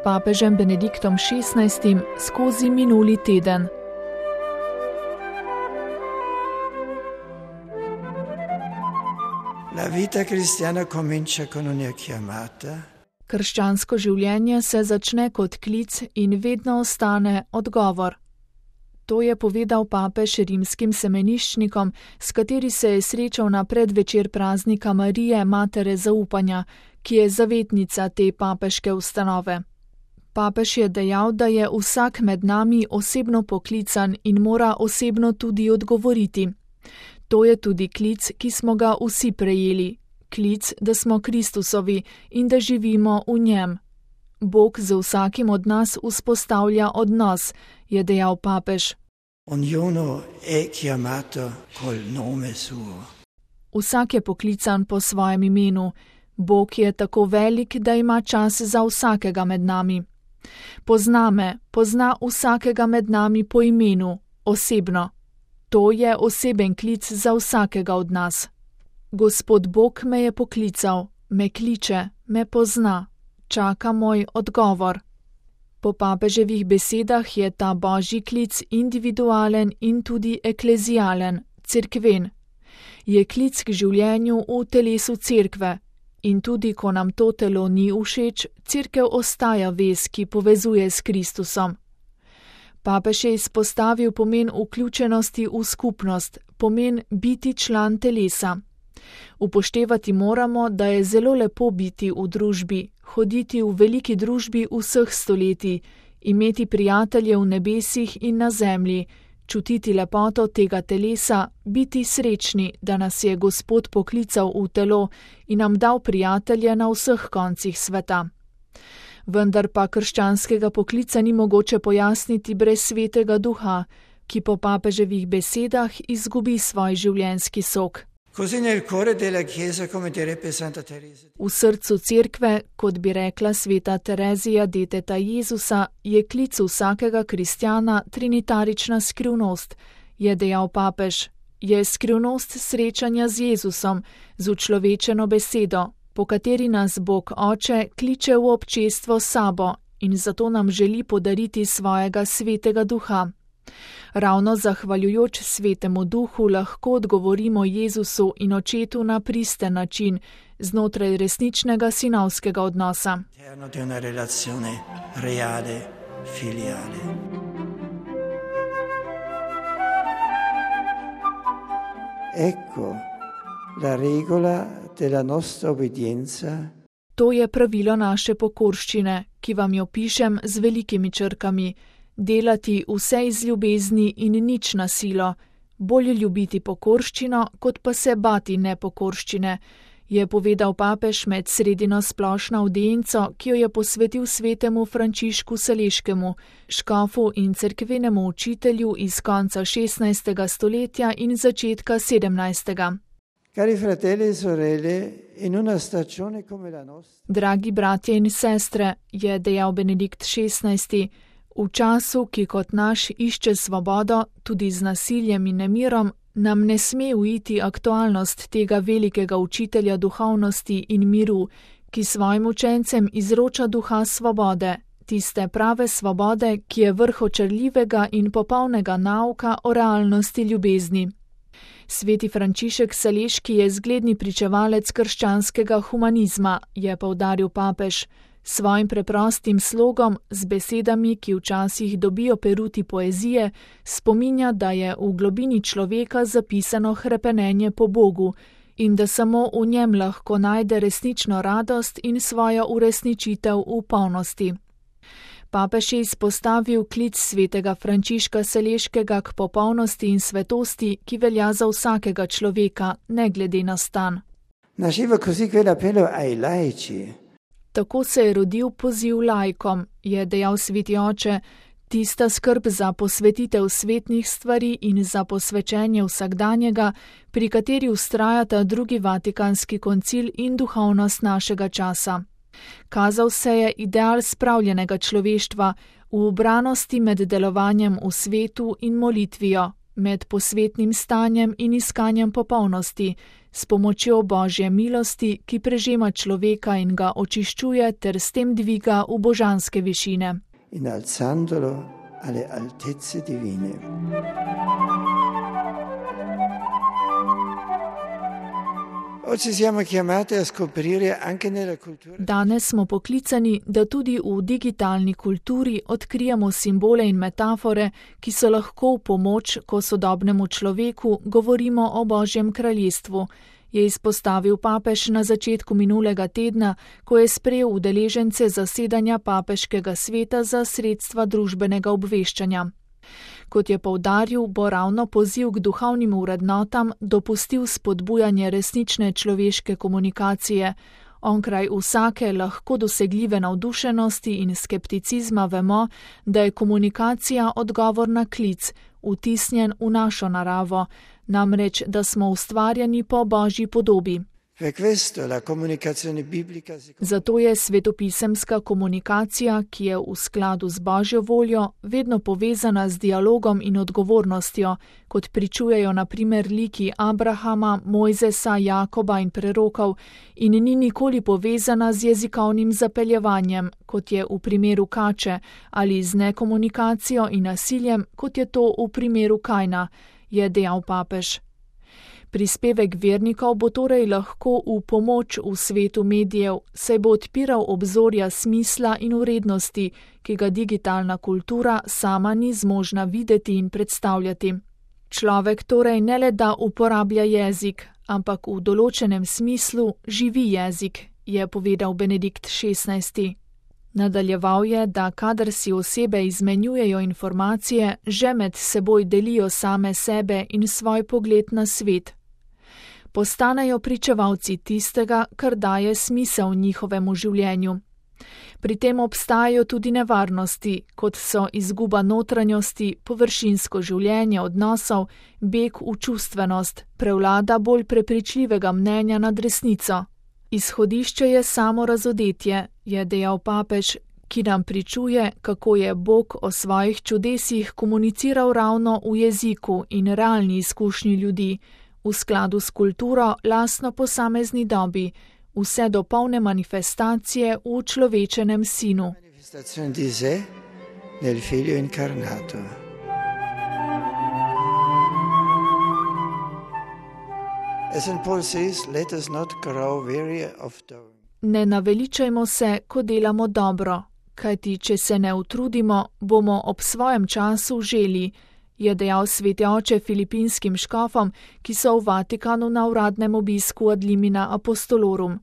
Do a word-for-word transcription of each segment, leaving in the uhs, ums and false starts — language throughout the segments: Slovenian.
papežem Benediktom šestnajstim skozi minuli teden. La vita cristiana comincia con una chiamata. Krščansko življenje se začne kot klic in vedno ostane odgovor. To je povedal papež rimskim semeniščnikom, s kateri se je srečal na predvečer praznika Marije, matere zaupanja, ki je zavetnica te papeške ustanove. Papež je dejal, da je vsak med nami osebno poklican in mora osebno tudi odgovoriti. To je tudi klic, ki smo ga vsi prejeli. Klic, da smo Kristusovi in da živimo v njem. Bog z vsakim od nas vzpostavlja odnos, je dejal papež. Ognuno è chiamato col nome suo. Vsak je poklican po svojem imenu. Bog je tako velik, da ima čas za vsakega med nami. Pozna me, pozna vsakega med nami po imenu, osebno. To je oseben klic za vsakega od nas. Gospod Bog me je poklical, me kliče, me pozna, čaka moj odgovor. Po papeževih besedah je ta božji klic individualen in tudi eklezijalen, cerkven. Je klic k življenju v telesu cerkve in tudi ko nam to telo ni všeč, cerkev ostaja vez, ki povezuje s Kristusom. Papež je izpostavil pomen vključenosti v skupnost, pomen biti član telesa. Upoštevati moramo, da je zelo lepo biti v družbi, hoditi v veliki družbi vseh stoletij, imeti prijatelje v nebesih in na zemlji, čutiti lepoto tega telesa, biti srečni, da nas je Gospod poklical v telo in nam dal prijatelje na vseh koncih sveta. Vendar pa krščanskega poklica ni mogoče pojasniti brez svetega duha, ki po papeževih besedah izgubi svoj življenjski sok. V srcu cerkve, kot bi rekla sveta Terezija deteta Jezusa, je klic vsakega kristjana trinitarična skrivnost, je dejal papež. Je skrivnost srečanja z Jezusom, z učlovečeno besedo, po kateri nas Bog Oče kliče v občestvo sabo in zato nam želi podariti svojega svetega duha. Ravno zahvaljujoč svetemu duhu lahko odgovorimo Jezusu in Očetu na pristen način, znotraj resničnega sinovskega odnosa. Ecco la regola della nostra obbedienza. To je pravilo naše pokorščine, ki vam jo pišem z velikimi črkami. Delati vse iz ljubezni in nič na silo, bolje ljubiti pokorščino, kot pa se bati nepokorščine, je povedal papež med sredino splošno avdienco, ki jo je posvetil svetemu Frančišku Saleškemu, škofu in cerkvenemu učitelju iz konca šestnajstega stoletja in začetka sedemnajstega. Cari fratelli e sorelle, in una stagione come la nostra. Dragi bratje in sestre, je dejal Benedikt šestnajsti, v času, ki kot naš išče svobodo, tudi z nasiljem in nemirom, nam ne sme uiti aktualnost tega velikega učitelja duhovnosti in miru, ki svojim učencem izroča duha svobode, tiste prave svobode, ki je vrh očarljivega in popolnega nauka o realnosti ljubezni. Sveti Frančišek Saleški je zgledni pričevalec krščanskega humanizma, je poudaril papež. Svojim preprostim slogom, z besedami, ki včasih dobijo peruti poezije, spominja, da je v globini človeka zapisano hrepenenje po Bogu in da samo v njem lahko najde resnično radost in svojo uresničitev v polnosti. Papež je izpostavil klic svetega Frančiška Saleškega k popolnosti in svetosti, ki velja za vsakega človeka, ne glede na stan. Nasceva così quell'appello ai laici. Tako se je rodil poziv laikom, je dejal sveti oče, tista skrb za posvetitev svetnih stvari in za posvečenje vsakdanjega, pri kateri vztrajata drugi Vatikanski koncil in duhovnost našega časa. Kazal se je ideal spravljenega človeštva v ubranosti med delovanjem v svetu in molitvijo, med posvetnim stanjem in iskanjem popolnosti, s pomočjo Božje milosti, ki prežema človeka in ga očiščuje ter s tem dviga v božanske višine. Innalzandolo alle altezze divine. Oggi siamo chiamati a scoprire anche nella cultura. Danes smo poklicani, da tudi v digitalni kulturi odkrijemo simbole in metafore, ki so lahko v pomoč, ko sodobnemu človeku govorimo o Božjem kraljestvu, je izpostavil papež na začetku minulega tedna, ko je sprejel udeležence zasedanja papeškega sveta za sredstva družbenega obveščanja. Kot je poudaril, bo ravno poziv k duhovnim vrednotam dopustil spodbujanje resnične človeške komunikacije. Onkraj vsake lahko dosegljive navdušenosti in skepticizma vemo, da je komunikacija odgovor na klic, vtisnjen v našo naravo, namreč, da smo ustvarjeni po Božji podobi. Zato je svetopisemska komunikacija, ki je v skladu z Božjo voljo, vedno povezana z dialogom in odgovornostjo, kot pričujejo na primer liki Abrahama, Mojzesa, Jakoba in prerokov, in ni nikoli povezana z jezikovnim zapeljevanjem, kot je v primeru kače, ali z nekomunikacijo in nasiljem, kot je to v primeru Kajna, je dejal papež. Prispevek vernikov bo torej lahko v pomoč v svetu medijev, saj bo odpiral obzorja smisla in vrednosti, ki ga digitalna kultura sama ni zmožna videti in predstavljati. Človek torej ne le da uporablja jezik, ampak v določenem smislu živi jezik, je povedal Benedikt šestnajsti. Nadaljeval je, da kadar si osebe izmenjujejo informacije, že med seboj delijo same sebe in svoj pogled na svet. Postanejo pričevalci tistega, kar daje smisel njihovemu življenju. Pri tem obstajajo tudi nevarnosti, kot so izguba notranjosti, površinsko življenje odnosov, beg v čustvenost, prevlada bolj prepričljivega mnenja nad resnico. Izhodišče je samo razodetje, je dejal papež, ki nam pričuje, kako je Bog o svojih čudesih komuniciral ravno v jeziku in realni izkušnji ljudi, v skladu s kulturo lastno posamezni dobi, vse do polne manifestacije v človečenem sinu. Ne naveličajmo se, ko delamo dobro, kajti če se ne utrudimo, bomo ob svojem času želi, je dejal sveti oče filipinskim škofom, ki so v Vatikanu na uradnem obisku ad limina apostolorum.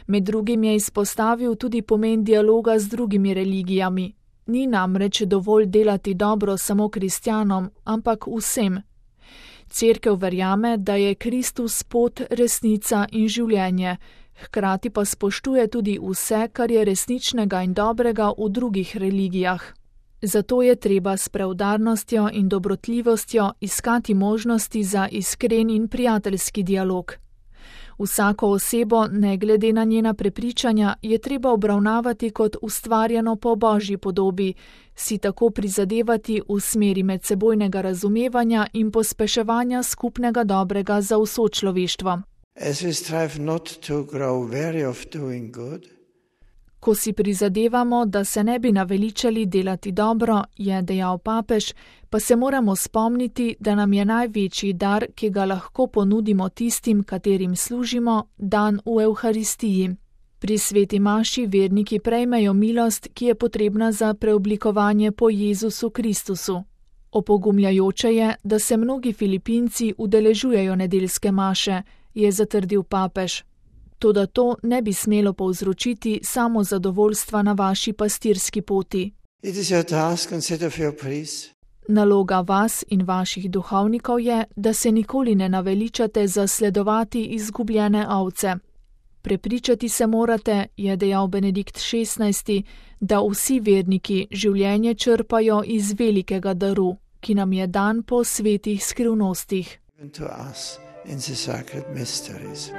Med drugim je izpostavil tudi pomen dialoga z drugimi religijami. Ni namreč dovolj delati dobro samo kristjanom, ampak vsem. Cerkev verjame, da je Kristus pot, resnica in življenje, hkrati pa spoštuje tudi vse, kar je resničnega in dobrega v drugih religijah. Zato je treba s preudarnostjo in dobrotljivostjo iskati možnosti za iskren in prijateljski dialog. Vsako osebo, ne glede na njena prepričanja, je treba obravnavati kot ustvarjeno po Božji podobi, si tako prizadevati v smeri medsebojnega razumevanja in pospeševanja skupnega dobrega za vso človeštvo. Ko si prizadevamo, da se ne bi naveličali delati dobro, je dejal papež, pa se moramo spomniti, da nam je največji dar, ki ga lahko ponudimo tistim, katerim služimo, dan v Evharistiji. Pri sveti maši verniki prejmejo milost, ki je potrebna za preoblikovanje po Jezusu Kristusu. Opogumljajoče je, da se mnogi Filipinci udeležujejo nedeljske maše, je zatrdil papež. Toda to ne bi smelo povzročiti samo zadovoljstva na vaši pastirski poti. Naloga vas in vaših duhovnikov je, da se nikoli ne naveličate zasledovati izgubljene ovce. Prepričati se morate, je dejal Benedikt šestnajsti, da vsi verniki življenje črpajo iz velikega daru, ki nam je dan po svetih skrivnostih. In the sacred mysteries.